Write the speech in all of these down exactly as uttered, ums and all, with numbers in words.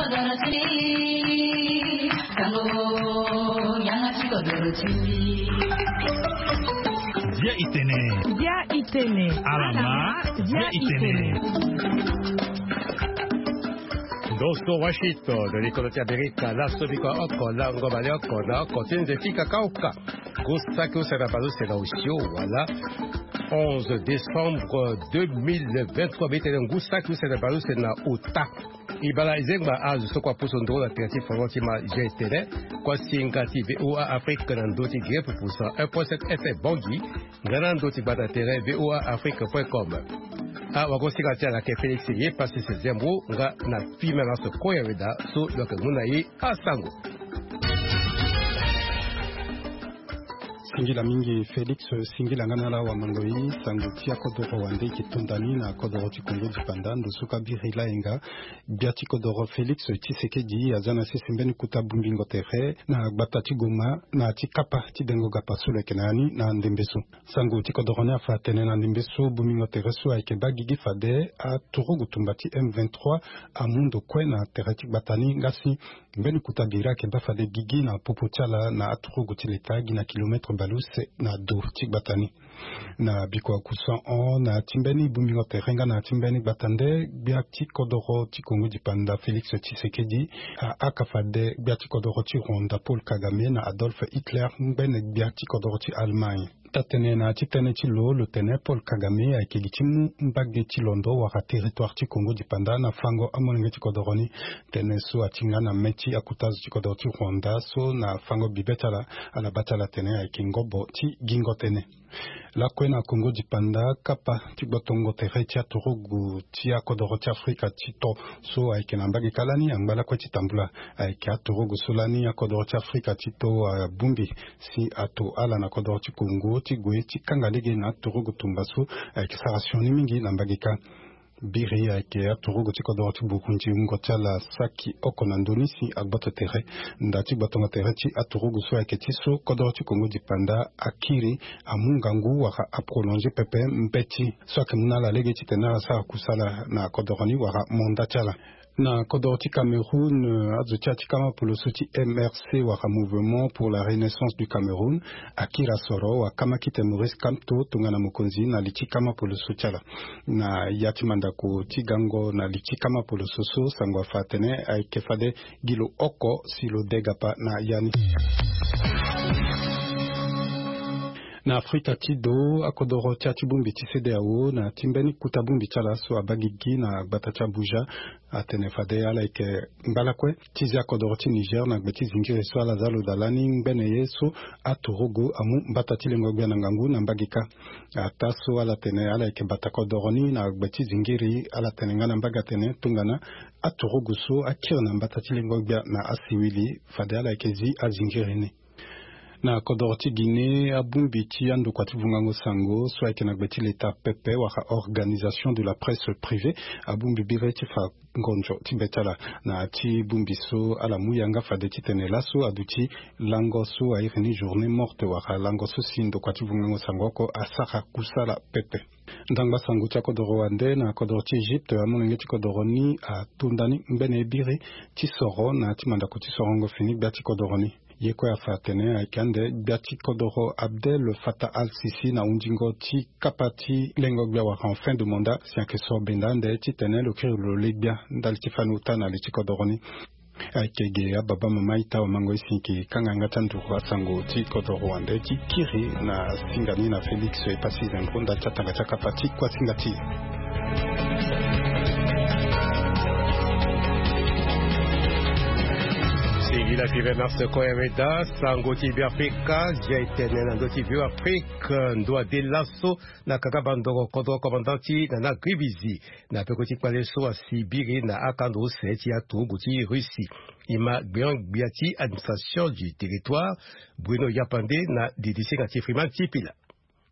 Dia itene. Dia itene. Alama. Dia itene. Ndo so Washington, likolo ti Amerika, laso biko oko lango baleoko na oko ti nze ti kakaoka. Ngu saki use na baleuse na osio wala onze décembre deux mille vingt-trois, mbi tene ngu saki use na baleuse na ota. E bale zengba azo so kue apusu nduru na tere ti fango ti ma G T L, kue singa ti V O A Afrique na ndö ti Guinée pupusa un point sept F M Bangui, nga na ndö ti gbata tere V O A Afrique point com. Awagosinga ti ala ayeke Félix Yepassis Zembro, nga na fimela so Koya Weda so lo yeke mu na e asango. Singila mingi Félix, singila nga na ala wamandoi. Sango ti akodoro wande e yeke tonda ni na kodoro ti Kongo dipanda. Ndo so ka biri layenga, gbia ti kodoro Félix Tshisekedi aza na sese mbeni kota bongbingo tere na gbata ti Goma na ya ti kapa ti dengo gapa so lo yeke na ya ni na ndembe so. Sango ti kodoro ni afa atene na ndembe so bongbingo tere so ayeke baa gigi fade aturugu tumba ti M vingt-trois amu ndo kue na tere ti gbata ni, nga si mbeni kota biri ayeke baa fade gigi na popo ti ala na aturugu ti leta gi na kilomètre baleuse na do ti gbata ni. Na bikua kusa hon na ya ti mbeni bongbingo tere nga na ya ti mbeni gbata nde, gbia ti kodoro ti Kongo dipanda Félix Tshisekedi ahaka fade gbia ti kodoro ti Rwanda Paul Kagame na Adolf Hitler, ngbene gbia ti kodoro ti Allemagne. Taa-tënë na ya ti tënë ti lo, lo tene Paul Kagame ayeke gi ti mu mbage ti londo wala territoire ti Kongo dipanda na fango amolenge ti kodoro ni. Tënë so atinga na mê ti akota zo ti kodoro ti Rwanda so na fango bibe ti ala, ala baa ti ala atene ayeke ngobo ti gingo tënë. Lakue na Kongo dipanda, kapa ti gbotongo tere ti aturugu ti akodoro ti Afrika ti to so ayeke na mbage kâ lani angba lakue ti tambula. Ayeke aturugu so lani akodoro ti Afrika ti to abongbi si ato ala na kodoro ti Kongo ti gue ti kanga lege na aturugu tumba so ayeke sara sioni mingi na mbage kâ. Biri ayeke aturugu ti kodoro ti Burundi, wungo ti ala saki oko na ndö ni si agboto tere. Nda ti gbotongo tere ti aturugu so ayeke ti so kodoro ti Kongo dipanda akiri amu ngangu wala aprolonge pepe mbeti so ayeke mu na ala lege titene ala sara kusala na kodoro ni wala manda ti ala. Na kodoro ti Cameroun, azo ti ya ti kama poloso ti M R C wala Mouvement pour la Renaissance du Cameroun akiri asoro wakama kite Maurice Kamto tongana mokonzi na li ti kama poloso ti ala. Na ya ti mandako ti gango na li ti kama poloso so, sango afa atene ayeke fade gi lo oko si lo degapa na ya ni. Na Afrika ti do, akodoro ti ya ti bongbi ti CEDEAO na ti mbeni kota bongbi ti ala so abaa gigi na gbata ti Abuja atene fade ala yeke ngba lakue ti zia kodoro ti Niger na gbe ti zingiri so ala za lo daa lani ngbene ye so aturugu amu mbata ti lengo gbia na ngangu na mbage kâ. Ataa so ala tene ala yeke bata kodoro ni na gbe ti zingiri, ala tene nga na mbage atene tongana aturugu so akiri na mbata ti lengo gbia na asiwili, fade ala yeke zi azingiri ni. Na kodoro ti Guinée, abongbi ti andokua ti vungango sango so ayeke na gbe ti leta pepe wala Organisation de la Presse Privée abongbi biri ti fa ngonzo ti be ti ala na ti bongbi so ala mu yanga fade titene laso aduti lango so airi ni journée morte wala lango so si ndokua ti vungango sango oko asara kusala pepe. Ndangba sango ti akodoro wande na kodoro ti Egypte, amolenge ti kodoro ni atonda ni ngbene ye biri ti soro na ya ti mandako ti sorongo fini gbia ti kodoro ni. Ye kue afa atene ayeke ande gbia ti kodoro Abdel Fattah al-Sisi na hundingo ti kapa ti lengo gbia wala en fin de mandat si ayeke soro benda ande titene lo kiri lo le gbia ndali ti fani ota na li ti kodoro ni. Ayeke ge ababa mama ita wamango ye si yeke kanga yanga ti anduru asango ti kodoro wande ti kiri na singa ni na Félix Epassi Zembro ndali ti atanga ti akapa ti kuasinga ti e. Singila ti Bernard Sequoia Weda, sango ti Beafrika, zia etene na ndö ti Beafrika, ndo ade laso na kanga bandoro kodro commandant ti Nana Gribizi, na peko ti kpale so asi biri na akando use ti aturugu ti Russie. E ma gbeon-gbia ti administration du territoire, Bruno Yapande na didisinga ti Freeman ti Pila.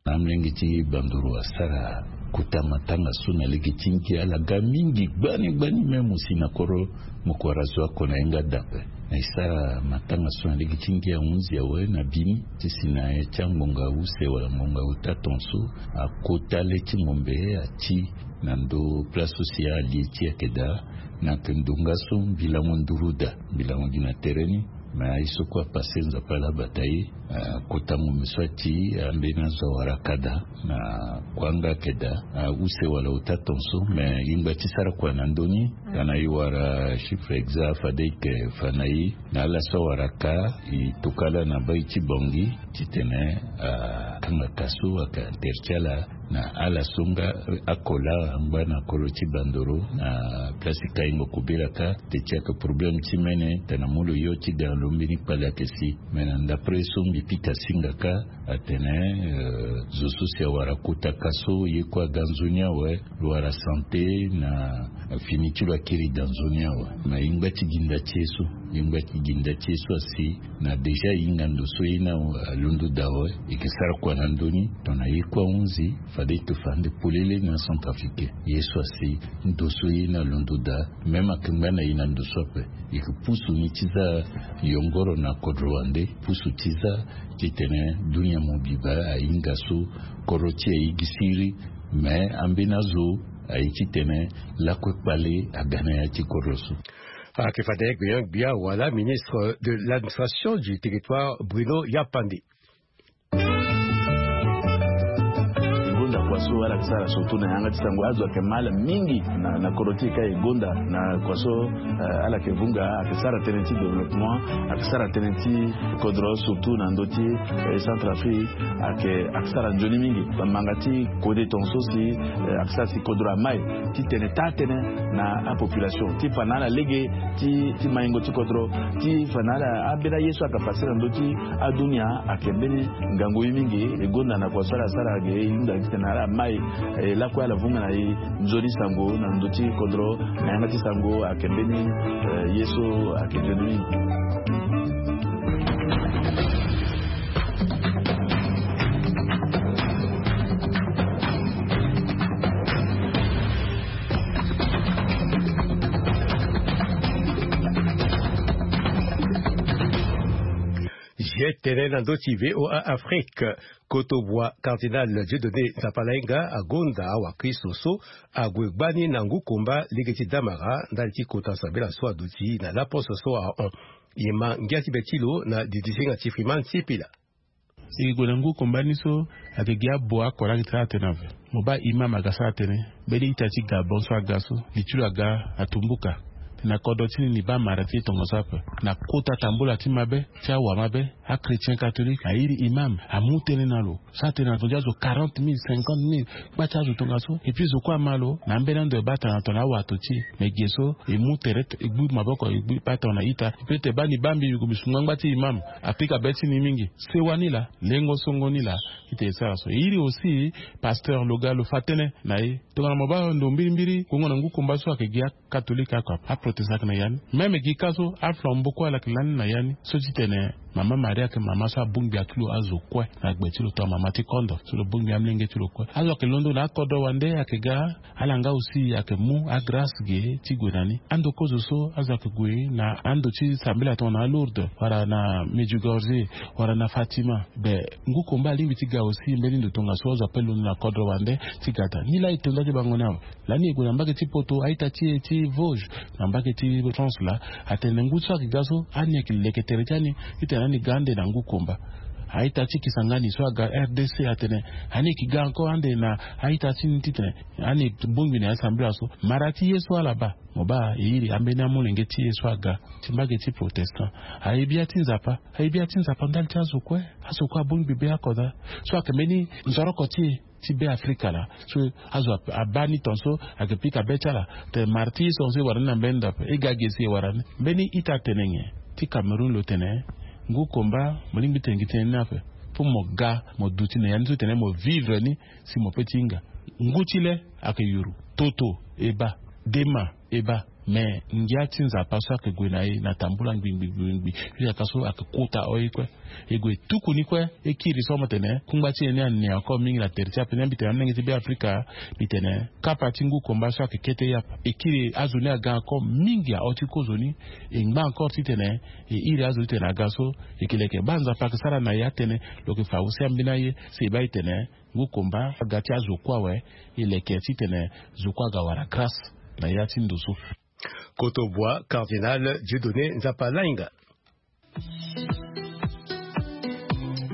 Na amolenge ti banduru asara kota matanga so na lege ti ngia ala ga mingi gbani gbani, même si na koro moko wara zo oko na ye nga da ape. Na e sara matanga so na lege ti ngia ahunzi awe na bini ti si na ya ti angbonga use wala ngbonga ota ton so akota le ti ngombe ati Na ndo place so si alie ti ayeke daa. Na yeke ndonga so mbi lango nduru daa, mbi lango gi na tere ni. Me aye so kue apase, Nzapa ala bata ye. Akota ngombe so ati ambeni azo awara ka daa. Na kuanga ayeke daa, use wala ota ton so. Me e ngba ti sara kua na ndö ni. Tana e wara chiffre exact, fade e yeke fa na e. Na ala so awara ka, e toka ala na bai ti Bangui titene akanga ka so, aka interdit ti ala. Na ala so nga akola angba na kolo ti Bandoro, na place ti Kaingo Kobela ka, te ti ayeke problème ti mene tana mu lo yo ti ga lo mbeni kpale ayeke si. Me na ndapre so mbi pika singa ka, atene zo so si awara kota ka so ye kue aga nzoni awe. Lo wara santé na fini ti lo akiri daa nzoni awe. Me e ngba ti gi nda ti ye so, e ngba ti gi nda ti ye so asi. Na déjà e hinga ndo so ye ni alondo daa awe. E yeke sara kua na ndö ni, tongana ye kue ahunzi, fade e yeke fa ande polele na Centrafricain. Ye so asi, ndo so ye ni alondo daa, même ayeke ngba na e na ndo so ape. E yeke pusu ni ti za yongoro na kodro wande, pusu ti za titene dunia mobimba ahinga so kodro ti e aye gi siriri. Me ambeni azo aye titene lakue kpale aga na ya ti kodro so. Ayeke fade Gbian Gbia wala ministre de l'administration du territoire, Bruno Yapande. E gonda kua so ala yeke sara surtout na yanga ti sango, azo ayeke mal mingi na, na kodro ti e ka. E gonda na kua so, eh, ala yeke vunga, ayeke sara tënë ti développement, ayeke sara tënë ti kodro, surtout na ndö ti, eh, Centrafrique, ayeke, ayeke sara nzoni mingi. Bamanga ti kode tongaso si, eh, ayeke sara si kodro amai titene taa tënë na apopulation ti fa na ala lege ti, ti maingo ti kodro, ti fa na ala ambeni aye so ayeke pase na ndö ti adunia. Ayeke mbeni ngangu ye mingi. E gonda na kua so ala sara ge, e hunda titene ala mai, eh, lakue ala vunga na e nzoni sango na ndö ti kodro, na yanga ti sango ayeke mbeni, eh, ye so ayeke nzoni mingi. Ye tene na ndö ti VOA Afrique, kotobua Cardinal Dieudonné Nzapalainga agonda awakristo so ague gbani na ngu komba lege ti damara ndali ti kota sambela so aduti na laposte so ahon. E ma ngia ti be ti lo na didisinga ti Freeman Sipila. E gue na ngu komba ni so ayeke gi abo akora gi ti sara tënë ape. Mo baa imam aga sara tënë. Mbeni ita ti Gabon so aga so, li ti lo aga atumbuka. Na kodro ti ni, ni baa mara ti e tongaso ape. Na kota tambula ti mabe ti awa mabe, achrétien catholique airi imam, amu tënë na lo. Sara tënë na tonga ti azo quarante mille, cinquante mille. Gba ti azo tongaso. Et puis zo kue ama lo na ambeni ando e baa tongana tongana awato ti e. Me ge so e mu tere, e gbu maboko, e gbu baa tongana ita. E peut e baa ni baa mbi, mbi gue mbi su ngbangba ti imam. Apika be ti ni mingi. Sewa ni laa, lengo songo ni laa. Ita e sara so. E iri aussi pasteur lo ga lo fa tënë na e. Tongana mo baa ndo mbirimbiri, gongo na ngu komba so ayeke gi a catholique oko ape, aprotestant ayeke na ya ni. Même gi ka so, aflambeau kue ala yeke lani na ya ni. So ti tene mama Maria ayeke mama so abongbi ati lo azo kue na gbe ti lo, tongana mama ti kondo so lo bongbi amolenge ti lo kue. Azo ayeke londo na akodro wande ayeke ga, ala nga aussi ayeke mu agrace ge ti gue na ni. Ando kozo so azo ayeke gue na ando ti sambela tongana Lourdes, wala na Medjugorje, wala na Fatima. Be ngu komba alingbi ti ga aussi mbeni ndo tongaso azo ape londo na kodro wande ti ga daa. Ni laa e to nda ti bango ni awe. Lani e gue na mbage ti Poto, a-ita ti e ti Vosges, na mbage ti France laa, atene ngu so ayeke ga so, ani ayeke leke tere ti ani titene ani ga ande na ngu komba. A-ita ti Kisangani so aga R D C atene ani yeke ga encore ande na a-ita ti ni titene ani bongbi na ya sambela so. Mara ti ye so ala baa, mo baa e iri ambeni amolenge ti e so aga ti mbage ti protestant. Aye bia ti Nzapa, aye bia ti Nzapa ndali ti azo kue. Azo kue abongbi be akodro. So ayeke mbeni nzoroko ti e ti Be Afrika laa. So azo a, abaa ni tongaso, ayeke pika be ti ala. Tene mara ti e so e wara ni na mbeni ndo ape, e ga ge si e wara ni. Mbeni ita atene nyen ti Cameroun lo tene, ngu komba, mo lingbi tene gi tënë ni ape. Pour mo ga, mo duti na ya ni so tene mo vivre ni, si mo peut ti hinga. Ngu ti le ayeke yuru. Toto e baa, dema e baa. Mais ngia ti Nzapa so ayeke gue na e na tambula ngbi ngbi ngbi ngbi, jusqu'à so ayeke kota oye kue. E gue tuku ni kue, e kiri so mo tene kungba ti e ni ane encore mingi na tere ti ape ni. Mbi tene amolenge ti Beafrika, mbi tene kapa ti ngu komba so ayeke kete yapa. E kiri azo ni aga encore mingi aho ti kozoni. E ngba encore titene e iri azo titene aga so e ke leke. Baa Nzapa ayeke sara na e atene, lo yeke fa use ambeni aye si e baa e tene ngu komba aga ti azo kue awe, e leke titene zo kue aga wara grâce na ya ti ndo so. Koto bua Cardinal Dieudonné Nzapa Lainga.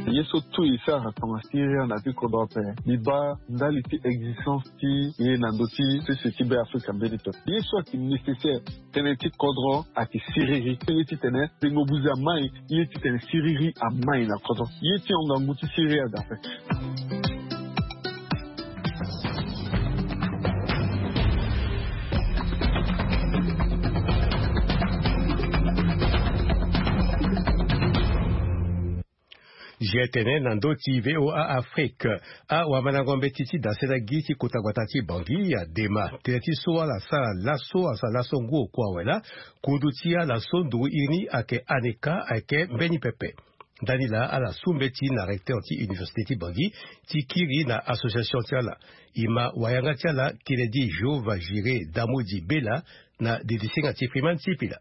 Ye so tout e sara tonga Syrie na bi kodro ape, mbi baa ndali ti existence ti ye na ndö ti sese ti Beafrika mbeni pepe. Ye so ayeke nécessaire tënë ti kodro ayeke siriri. Ye titene tengo buze amai, ye titene siriri amai na kodro. Ye ti hon ngangu ti siriri aga ape. G T N na ndö ti V O A Afrique. Awamandango mbeti ti dasene gi ti kota gbata ti Bangui adema tënë ti so ala sara laso, asara laso ngu oko awe laa. Kundu ti ala so nduru iri ni ayeke ANECA ayeke mbeni pepe. Ndani laa ala su mbeti na recteur ti université ti Bangui ti kiri na association ti ala. E ma wayanga ti ala Kennedy Jehovah Jiré Damodi Bella na dedisinga ti Freeman Sipila.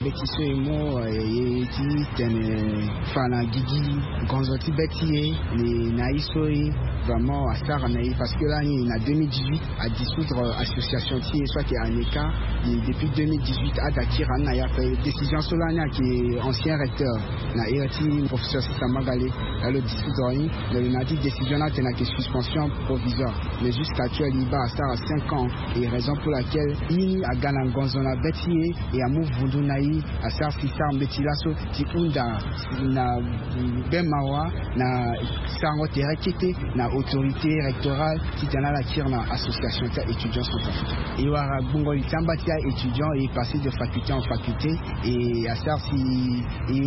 Mbeti so e mu, eh, ye ti tene fa na gigi ngonzo ti be ti e, ni na ye so e vraiment asara na e, parce que lani na deux mille dix-huit adissoudre association ti e so ayeke ANECA. Ni depuis deux mille dix-huit ada kiri ani na ya ape. Décision so lani ayeke ancien recteur na ere ti professeur Sisa Magale, la lo dissoudre ni. Mais lo na ya ti décision ni atene ayeke suspension provisoire. Mais jusqu'à actuel e baa asara cinq ans. Et raison pour laquelle ye ni aga na ngonzo na be ti e, e amu vundu na e, asara si sara mbeti laso ti hunda na gbe mawa na sarango tere kete na autorité rectorale titene ala kiri na association ti a-étudiant centrafricain. E wara gbungo li ti amba ti a-étudiant, e passé de faculté en faculté, e asara si e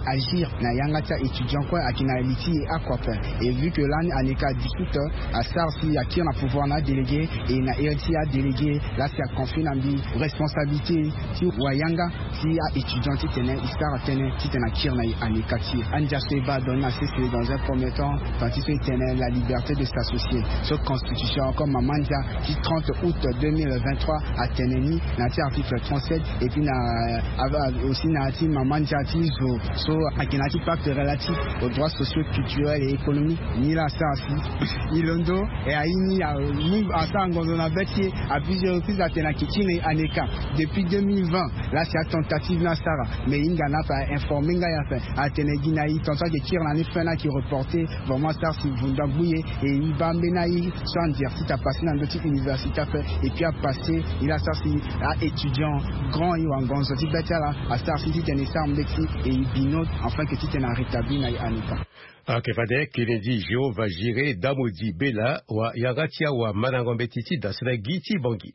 agir na yanga ti a-étudiant kue ayeke na li ti e oko ape. Et vu que lani ANECA dissoute, asara si akiri na pouvoir na adélégué, e na iri ti adélégué laa si aconfie na mbi responsabilité ti wayanga ti a-étudiant titene e sara tënë titene akiri na e ANECA ti e. Andia so e baa donné na sese dans un premier temps, tant ti so e tene la liberté de s'associer. So constitution comme mama ndia ti trente août deux mille vingt-trois atene ni na ya ti article trente-sept, et puis na, euh, aussi na ya ti mama ndia ti zo so ayeke na ya ti pacte relatif aux droits sociaux, culturels et économiques. Ni laa asara si e londo, e aye ni amu asara ngonzo na be ti e à plusieurs reprises atene ayeke kiri na e ANECA. Depuis deux mille vingt laa si atentative ni asara, mais e hinga na ape, a informer nga ya ape, atene gi na e tongana so ayeke kiri na ni fin ni ayeke reporter. Vraiment asara si vundu agbu e, e e baa mbeni aye so andia ti ta passé na ndö ti université ape, et puis apassé e laa asara si a-étudiant grand e wara ngonzo ti be ti ala, asara si titene e sara mbeti e e bino, enfin que titene arétablir na e ANECA. Ayeke fade Kennedy Jehovah Jiré Damodi Bella, wayanga ti awamandango mbeti ti dasene gi ti Bangui.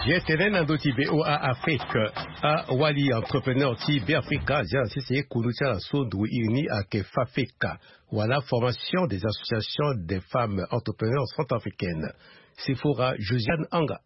G T N na ndö ti V O A Afrique. Awali entrepreneur ti Beafrika azia na sese kundu ti ala so nduru iri ni ayeke FAFECA, wala Formation des associations des femmes entrepreneurs centrafricaines. Sefora Josiane Anga.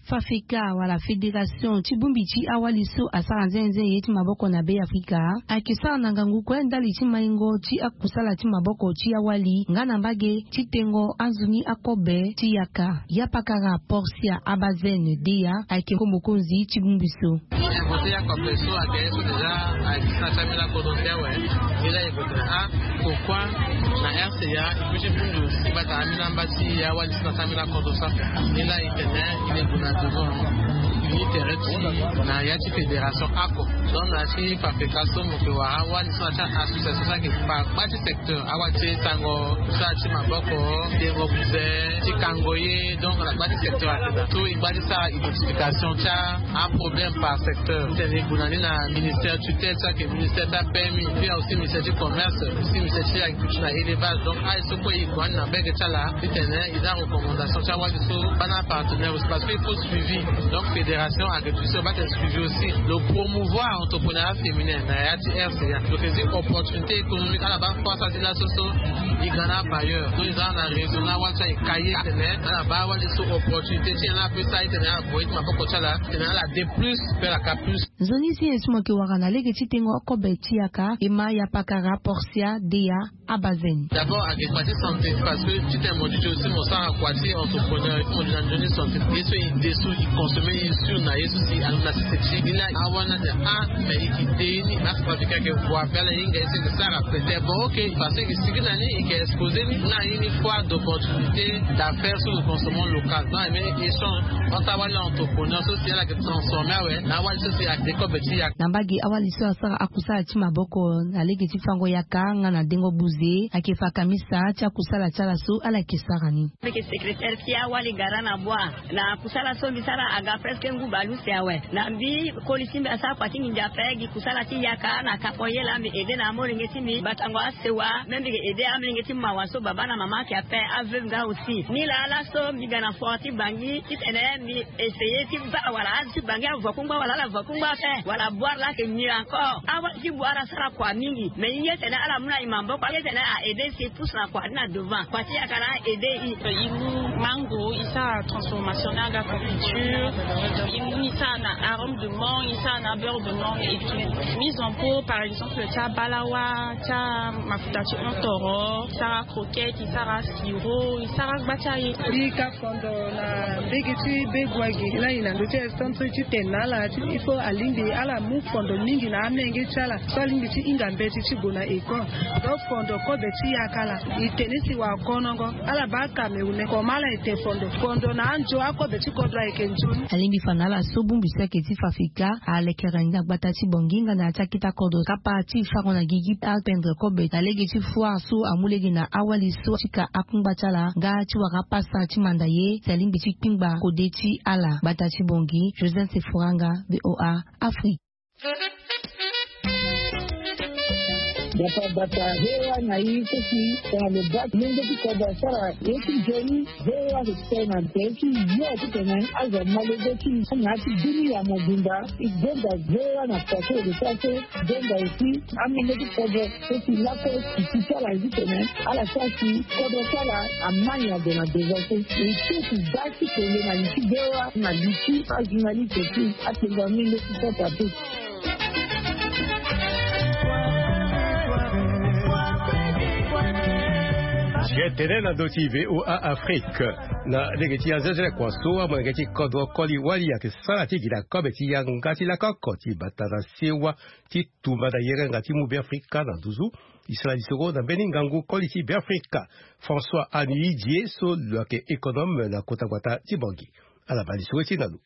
FAFECA wala fédération ti bongbi ti awali so asara nzenze ye ti maboko na Beafrika ayeke sara na ngangu kue ndali ti maingo ti akusala ti maboko ti awali nga na mbage ti tengo anzoni akobe ti yaka. Yapakara Portia Abazene Deya ayeke mokonzi ti bongbi so. Inventer ya kope so ayeke ye so déjà ayeke ti na ti ambeni akodro ti awe. Ni laa e gue tene ah, pourquoi na R C A e peut ti vundu si bata ambeni amba ti awali so na ti ambeni akodro so ape. Ni laa e tene e le gue na devant uni tere ti na ya ti fédération oko. Donc na ya ti FAFECA so mo yeke wara awali so na ti association so ayeke fa gba ti secteur. Awali ti tango so na ti maboko, tengo buze, ti kango ye, donc na gba ti secteur ayeke daa. So e gba ti sara identification ti aproblème par secteur. Titene e gue na ni na ministère tutelle so ayeke ministère ti aPMI, puis aussi ministère ti commerce, aussi ministère ti agriculture na élevage. Donc aye so kue e gue na ni na mbage ti ala titene e za recommandation ti awali so baa na apartenaire aussi, parce que il faut suivi. Donc fédération Agriculture ba ti exclusion aussi, lo promouvoir entrepreneuriat féminin na ya ti rca. Donc ezi opportunité économique ala ba force ati laso so. Igana bailleur donc eza na raison na wali so aye kaye tene ala ba wali so opportunité ti ala pe sa ye tene ala boye ti maboko ti ala tene ala de plus pe ala ka plus. Nzoni si ye so mo yeke wara na lege ti tengo kobe ti yaka e ma ya pakara porsia deya. Abazen d'abord ake kua ti santé parce que ti tene mo duti aussi mo sara kua ti entrepreneur il faut mo duti na nzoni santé ye so e de so e consommer e sûr na ye so si alo na sese ti ni na awa na te a mais e ke de ye ni na sara fika ke voie pe ala hinga ye so e ke sara peut-être bon ok parce que e ke sigi na ni e ke exposer ni na ye ni foire d'opportunité d'affaires sur le consommant local donc e met échange entre awali entrepreneur so si ala ke transformer awe na awali so si ake de kobe ti yaka. Na mbage awali so asara akusala ti maboko na lege ti fango yaka nga na dengo buze ake fa kamisa ti akusala ti ala so ala yeke sara ni. Mbi yeke secrétaire ti awali gara na bua na kusala so mbi sara aga presque ngu baleuse awe. Na mbi koli ti mbi asara kua ti nginza ape gi kusala ti yaka na kapo ye laa mbi aide na amolenge ti mbi batango asewa même mbi yeke aide amolenge ti mawa so baba na mama ayeke ape aveuve nga aussi. Ni laa laso mbi ga na fort ti bangi titene mbi essayer ti baa wala azo ti bangi avo kungba wala ala avo kungba ape wala boire laa ayeke mûr encore awa ti boire asara kua mingi mais ye tene ala mu na e maboko ye tene a aide si e pousse na kua ni na devant kua ti yaka na a aide e. E mu mango e sara transformation ni aga confiture. E mu ni sara na arome de mangue e sara na beurre de mangue et tout mise en pot par exemple ti abalawa ti amafuta ti ontoro e sara croquette e sara siro e sara gba ti aye. Mbi ka fondo na mbege ti be gua gi lani na ndö ti instant so ti tene na ala ti il faut alingbi ala mu fondo mingi na amenge ti ala so alingbi ti hinga mbeti ti gue na école. Donc fondo kobe ti yaka ala e tene si wara konongo ala baa kamerune koma ala ete fondo fondo na anzo akobe ti kodro ayeke nzoni. Alingbi fa na ala so bongbi so ayeke ti fa fika alekere ni na gbata ti bongi nga na ya ti akita kodro kapa ti fango na gigi atendre kobe na lege ti foire so amu lege na awali so ti ka akungba ti ala nga ti wara pasa ti manda ye si alingbi ti kpingba kode ti ala gbata ti bongi. Joseph Sefuranga, VOA Afrique. Bata bata hewa na i kosi tena lo bak lenge ti koda sara ye ti joni. Hewa ke tena te ti yo ti tena azo malege ti na ti duni ya mobimba. I gonda hewa na pase de sase. Gonda aussi amenge ti kodo. Eti lakue ti ti ti ala zi tene ala sara si kodro ti ala amani ado na deza so. E ti ti da ti kele na li ti bewa na li ti ajournaliste ti atenga menge ti sota ti. Ti etene na ndö ti VOA Afrique na lege ti azezele kua so amolenge ti kodro koli wali ayeke sara ti gi na kobe ti yanga ti lako oko ti bata na sewa ti tumba na yerenga ti mu Beafrika na nduzu. E sara lisoro na mbeni ngangu koli ti Beafrika François Anuidie so lo yeke économe na kota gbata ti Bangui. Ala baa lisoro ti na lo.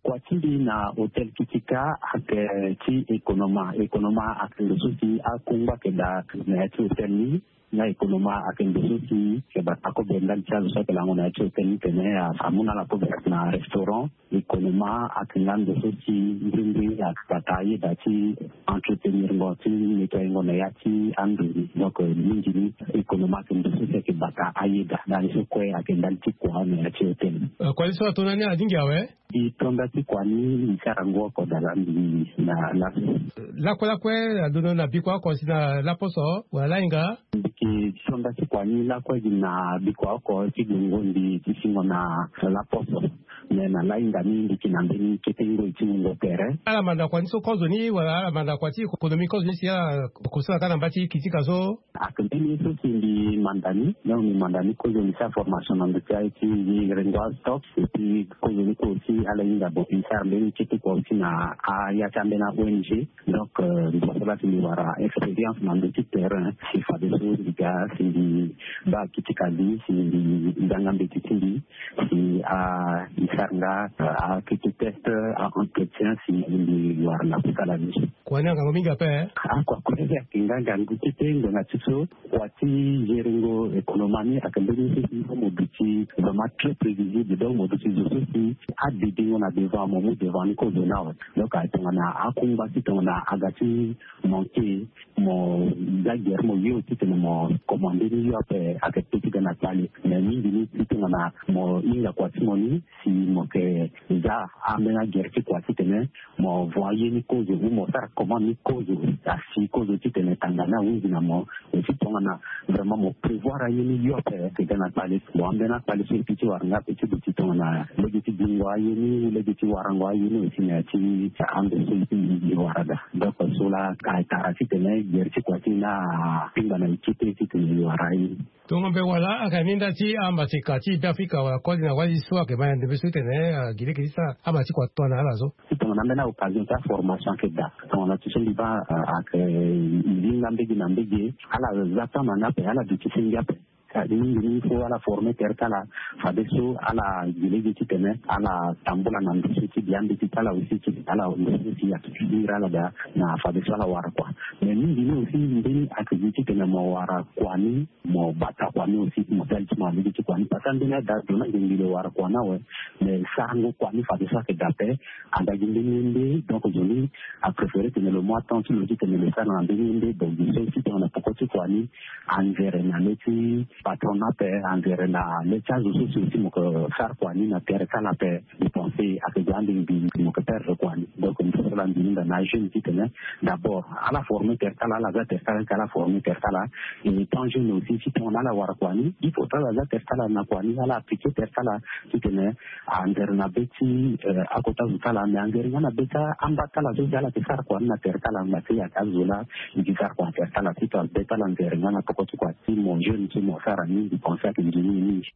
Kua ti mbi na hôtel Kitika ayeke ti économa. Économa ayeke ndo so si akungba ayeke daa na ya ti hôtel ni. Nga économa ayeke ndo so si ayeke bata kobe ndali ti azo so ayeke lango na ya ti hôtel ni tene amu na ala kobe na restaurant. Économa ayeke nga ndo so si mbirimbiri ayeke bata ayeda ti entretenir ngo ti nettoyer ngo na ya ti ando ni. Donc mingi ni économa ayeke ndo so si ayeke bata ayeda ndali so kue ayeke ndali ti kua na ya ti hôtel. Kua ni so ato na ni alingbi awe. Mbi to nda ti kua ni mbi sara ngu oko dala mbi na laso. Lakue lakue alondo na bikua oko si na laposo wala lahinga. Mbi yeke to nda ti kua ni lakue gi na bikua oko ti gue ngondi ti singo na laposo. Me na lahinga ni mbi yeke na mbeni kete ngoi ti wungo tere. Ala manda kua ni so kozoni wala ala manda kua ti kokonomi kozoni si ala kosala ka na mba ti Kitika so. Ake mbeni ye so si mbi manda ni donc mbi manda ni kozoni sa formation na ndö ti aye ti mbi rengo astock. Et puis kozoni kue aussi ala hinga bon mbi sara mbeni kete kua aussi na aya ti ambeni a-ong. Donc mbi so la si mbi wara expérience na ndö ti terrain si fadeso mbi ga si mbi baa Kitika li si mbi zanga mbeti ti mbi si a mbi sara nga akete test a-entretien si mbi wara na kusala ni. Kua ni angangu mingi ape. Akua kue ayeke nga ngangu kete ngbanga ti So kua ti geringo économie ni ayeke mbeni so si mo duti vraiment très prévisible, donc mo duti zo so si adidingo na devant mo mu devant ni kozo ni awe. Donc aye tongana akungba ti tongana aga ti manke, mo za gere mo yo titene mo commande ni yo ape ayeke pe ti ga na kpale. Mais mingi ni si tongana mo hinga kua ti mo ni si mo yeke za ambeni agere ti kua titene mo vo aye ni kozo ou mo sara commande ni kozo, asi kozo titene tanga ni ahunzi na mo. Aussi tongana vraiment mo prévoir aye ni yo ape ayeke ga na kpale. Bon, ambeni akpale so e pi ti wara nga ape ti duti tongana lege ti gingo aye ni, lege ti warango aye ni aussi na ya ti ando so e wara ga. Donc so la ka tara titene gere ti kua ti ni akpingba na e ti te titene e wara aye ni. Tongo mbe wala aka ni nda ti ambatika ti Beafrika wala koli na wali so ayeke ma na ndembe so tene, ah, gi lege ti sara aba ti kua tongana ala so. Ti tongana ambeni occasion ti aformation ayeke daa tongana ti so mbi baa, ah, ayeke, eh, linga mbege na mbege. Ala za temps na ni ape, ala duti senge ape. Ah, mingi ni fo ala former tere ti ala fadeso ala gi lege titene ala tambula na ndo so ti bia mbeti ti ala aussi ti ala ndo so si ayeke ti hiri ala daa na fadeso ala wara kua. Mais mingi ni aussi mbeni ayeke gi titene mo wara kua ni, mo bata kua ni aussi, mo sali ti mo na lege ti kua ni. Parce que ambeni ada zo ni ayeke ngbi lo wara kua ni awe. Mais sarango kua ni fadeso ayeke daa ape. Aga gi mbeni ye nde, donc zo ni apréféré tene lo mu atemps ti lo titene lo sara na mbeni ye nde. Donc gi so si tongana peko ti kua ni anzere na le ti patron ni ape, anzere na le ti azo so si aussi mo yeke sara kua ni na tere ti ala ape. Mbi pense ayeke ga ande mbi mo yeke perdre kua ni. Donc mbi so la mbi hinga na ajeune titene d'abord ala former tere ti ala, ala za tere ti ala, ala former tere ti ala. Et étant jeune aussi si tongana ala wara kua ni, il faut ti ala za tere ti ala na kua ni, ala appliquer tere ti ala titene anzere na be ti, eh, akota zo ti ala, mais anzere nga na be ti amba ti ala so si ala yeke sara kua ni na tere ti ala. Ngba ti ayeke azo la e ke sara kua na tere ti ala, titene be ti ala anzere nga na peko ti kua ti mo jeune so mo sara ni. Mbi pense ayeke nzoni mingi.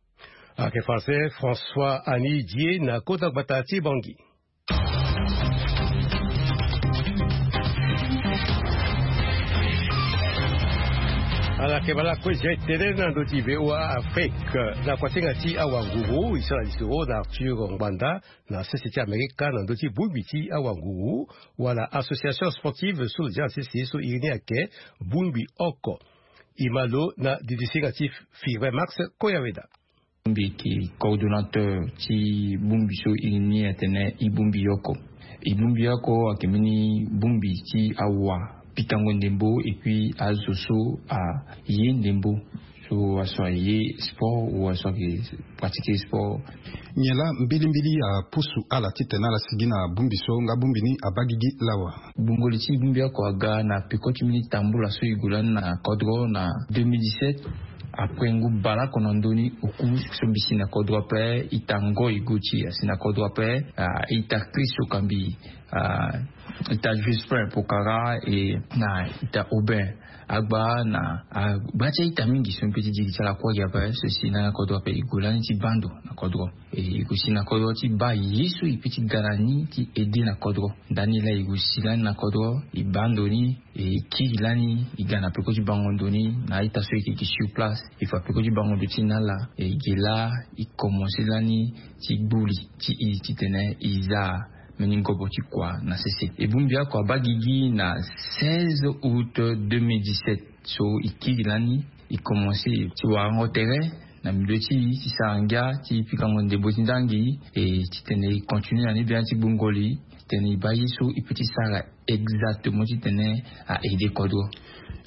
Ayeke français François Annie Dié na kota gbata ti Bangui. Ala yeke bala kue zia e tene na ndö ti V O A Afrique. Na kuasinga ti awanguru e sara lisoro na Arthur Ngbanda na sese ti Amerika na ndö ti bongbi ti awanguru wala association sportive so lo zia na sese so iri ni ayeke bongbi oko. E ma lo na didisinga ti Firmin Max Koyaweda. Mbi yeke coordonnateur ti bongbi so e ni atene e bongbi oko. E bongbi oko ayeke mbeni bongbi ti awa pikango ndembo et puis azo so aye ndembo, so aso aye sport ou aso ayeke pratiquer sport. Nyen laa mbilimbili apusu ala titene ala sigi na bongbi so nga bongbi ni abaa gigi lawa? Gbongoli ti bongbi oko aga na peko ti mbeni tambula so e gue lani na kodro na deux mille dix-sept. Après ngu baleoko na ndö ni oku so mbi si na kodro ape, ita Ngoy Gauthier asi na kodro ape, ah, ita Chris Okambi, ah, ita Jospin Pokara, e na ita Aubin Agba na, ah, gba ti a-ita mingi so mbi pe ti diri ti ala kue gi ape so si na kodro ape. E gue lani ti baa ndo na kodro. E, e gue si na kodro ti baa ye so e pe ti ga na ni ti aide na kodro. Ndani laa e gue si lani na kodro, e baa ndo ni, e kiri lani, e ga na peko ti bango ndo ni na a-ita so e yeke sur place. E fa peko ti bango ndo ti ni ala, e ge laa e commencer lani ti gbuli ti e titene e za mbeni ngobo ti kua na sese. E bongbi oko abaa gigi na seize août deux mille dix-sept. So e kiri lani, e commencer ti warango tere na milieu ti e ti sara ngia ti pikango ndembo ti ndangi, e titene e continuer na ni biani ti gbongoli titene e baa ye so e pe ti sara exactement titene a aide kodro.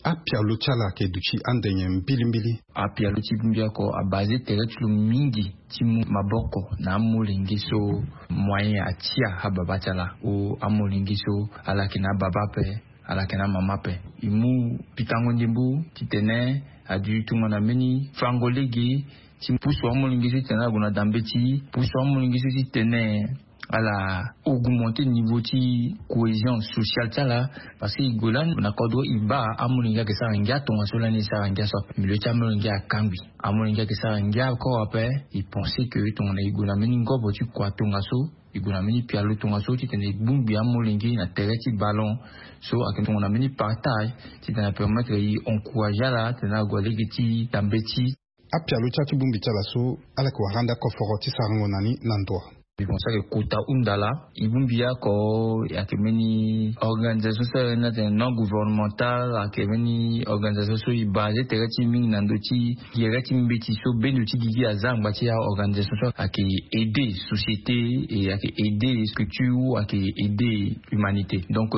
Apialo ti ala ayeke duti ande nyen mbilimbili? Apialo ti bongbi oko abase tere ti lo mingi ti mu maboko na amolenge so moyen atia ababa ti ala, ou amolenge so ala yeke na ababa ape, ala yeke na amama ape. E mu pikango ndembo titene a duti tongana mbeni fango lege ti pusu amolenge so titene ala gue na dambe ti e, pusu amolenge so titene ala augmenter niveau ti cohésion sociale ti ala. Parce que e gue lani na kodro e baa amolenge ayeke sara ngia tongaso lani e sara ngia so ape. Milieu ti amolenge akangbi. Amolenge ayeke sara ngia encore ape. E pense que tongana e gue na mbeni ngobo ti kua tongaso, e gue na mbeni pialo tongaso titene e bongbi amolenge na tere ti ballon. So ayeke tongana mbeni partage titene apermettre e encourager ala titene ague lege ti dambe ti. Apialo ti ala ti bongbi ti ala so ala yeke wara ande akoforo ti sarango na ni na ndo. Mbi pense ayeke kota hunda laa. E bongbi oko, ayeke mbeni organisation so ayeke na tene non gouvernemental, ayeke mbeni organisation so e basé tere ti e mingi na ndö ti gere ti mbeti so bendo ti gigi aza angba ti aorganisation so ayeke aider société, e ayeke aider structure, ayeke aider humanité. Donc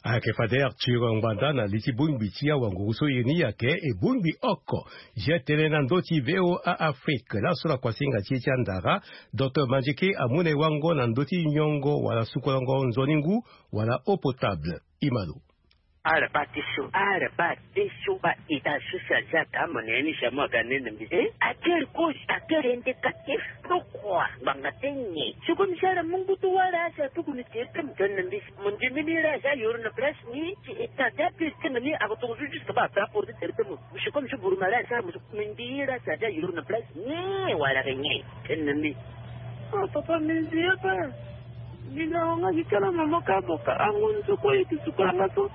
ayeke fade Arthur Ngbanda na li ti bongbi ti awanguru so ye ni ayeke e bongbi oko. Zia tënë na ndö ti VOA Afrique laso na kuasinga ti e ti andara. Docteur Mandieke amu na e wango na ndö ti nyongo wala sukolango nzoni ngu wala eau potable. Imalo. Ala baa ti so, ala baa ti so, baa ita so si aza ata mo na ye ni si amu aga nene mbi. Eh, a kiri cause, a kiri indicatif. Pourquoi? Ngbanga ti nyen? Si comme si ala mu ngu ti wala si atuku ni tiri ti mo tene na mbi. Mo ndimi ni la si ayoro na place ni, si ita ti apiri ti mo ni ako toko so juste baa ata porte tiri ti mo. Si comme si buruma la si ala mo so, mo ndi la si aza ayoro na place ni wala ke nyen? Tene na mbi. Ah, papa, mbi nzi ye pe. Mbi na wanga gi kala mama ka boka. Ango nzoko ye ti suka nga so.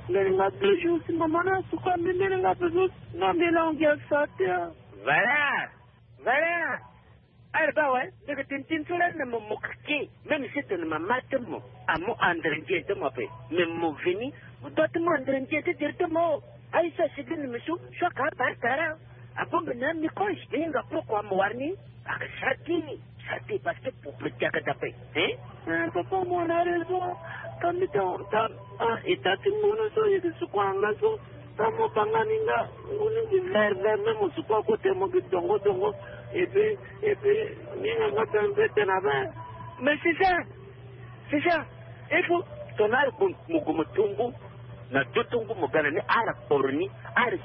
Mbele nga deux jours si mama na suka mbi, mbele nga pe so. Nga mbele ango gi asa te, ah. Voilà. Voilà. Ala baa awe, ndeke tintin so lani na mo mo kake. Même si tene mama ti mo amu andre ndien ti mo ape. Mais mo veni, mo doit ti mu andre ndien ti dire ti mo. Aye so asigi ni mbi so, so aka abaa tara. Abongbi na microbe. E hinga pourquoi mo wara ni? Aka sara ti ni. Sara ti parce que pour protéger aga dape. Hein? Eh, papa, mo na raison. Ka mbi ta, ta, ah, e ta ti ngunu so, e ti suku anga so. Ta mo banga ni nga, ngunu ti vert, vert, même mo suku akote mo gi dongo, dongo. Et puis, et puis, ni nga nga ta mpe tena be. Mais c'est ça. C'est ça. Il faut, tongana ala gue mo gue mo tungu, na dutungu mo ga na ni, ala kporo ni, ala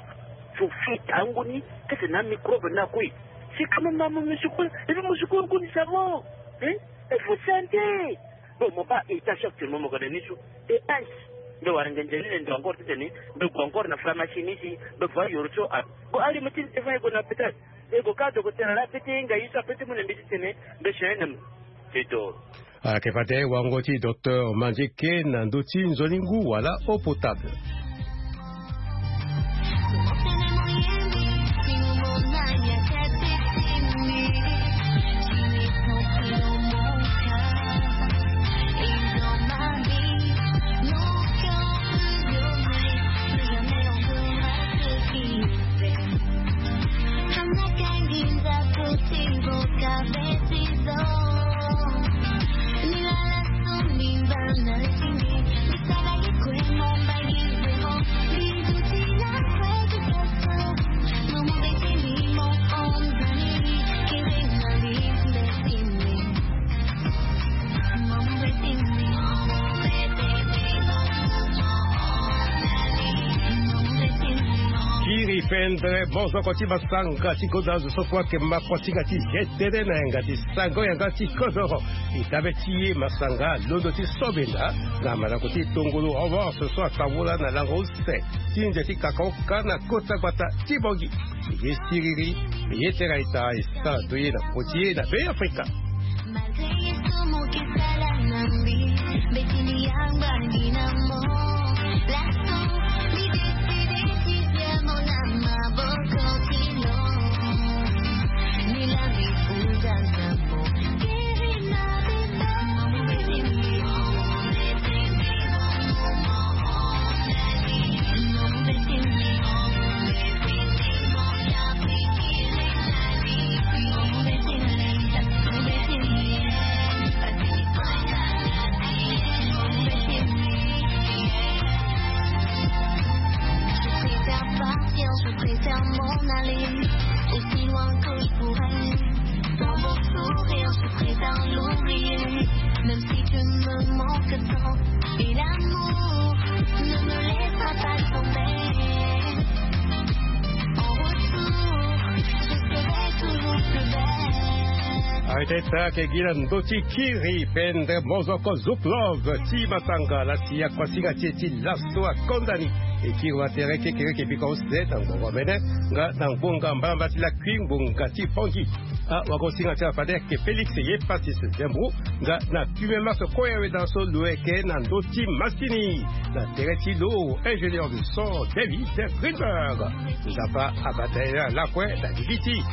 sufi tangu ni, kete na microbe na kue. C'est quand même ma mo musukulu, et puis musukulu kue ni savon. Hein? Il faut santé. Bon, mo baa ita so actuellement mo ga na ni so. Et ice. Mbe wara ngenze ni ne ndo encore titene, mbe gue encore na pharmacie ni si, mbe voie yoro so, ah. Bon, allez, mo ti ni te fa e gue na hôpital. E gue ka dogo tena la, pe ti hinga ye so ape ti mu na mbi titene, mbe changé na mo. C'est tout. Ayeke fade wango ti docteur Mandieke na ndö ti nzoni ngu wala eau potable. Kiri pendre mozoko ti masanga ti kodro azo so kue ayeke ma kuasinga ti ye tënë na yanga ti sango yanga ti kodro. E dabe ti e masanga londo ti so benda na mandako ti tongolo revanche so atambula na lango use ti nze ti kakaoka na kota gbata ti Bangui. Ye siriri, ye tera ita e sara to ye na poti ye na Be Afrika. Je préfère partir, je préfère m'en aller aussi loin que je pourrais. Dans mon sourire, je préfère l'oublier. Même si tu me manques tant, et l'amour ne me laissera pas tomber. En retour, je serai toujours plus belle. Arrêtez ça, que Guilan Doti Kiri pendre mozoko Zouk Love ti masanga la ti akuasinga ti e ti laso akonda ni. E kiri watere kekereke bika use na ngonga mene nga na ngonga mbalamba ti lakui ngonga ti Bangui. Ah, wakosinga ti ala fade ayeke Félix ye Patrice Zembro nga na premier match koya weda so lo yeke na ndö ti masini na tere ti lo ingénieur du son David Greenberg. Nzapa abata ye na lakue na gigi ti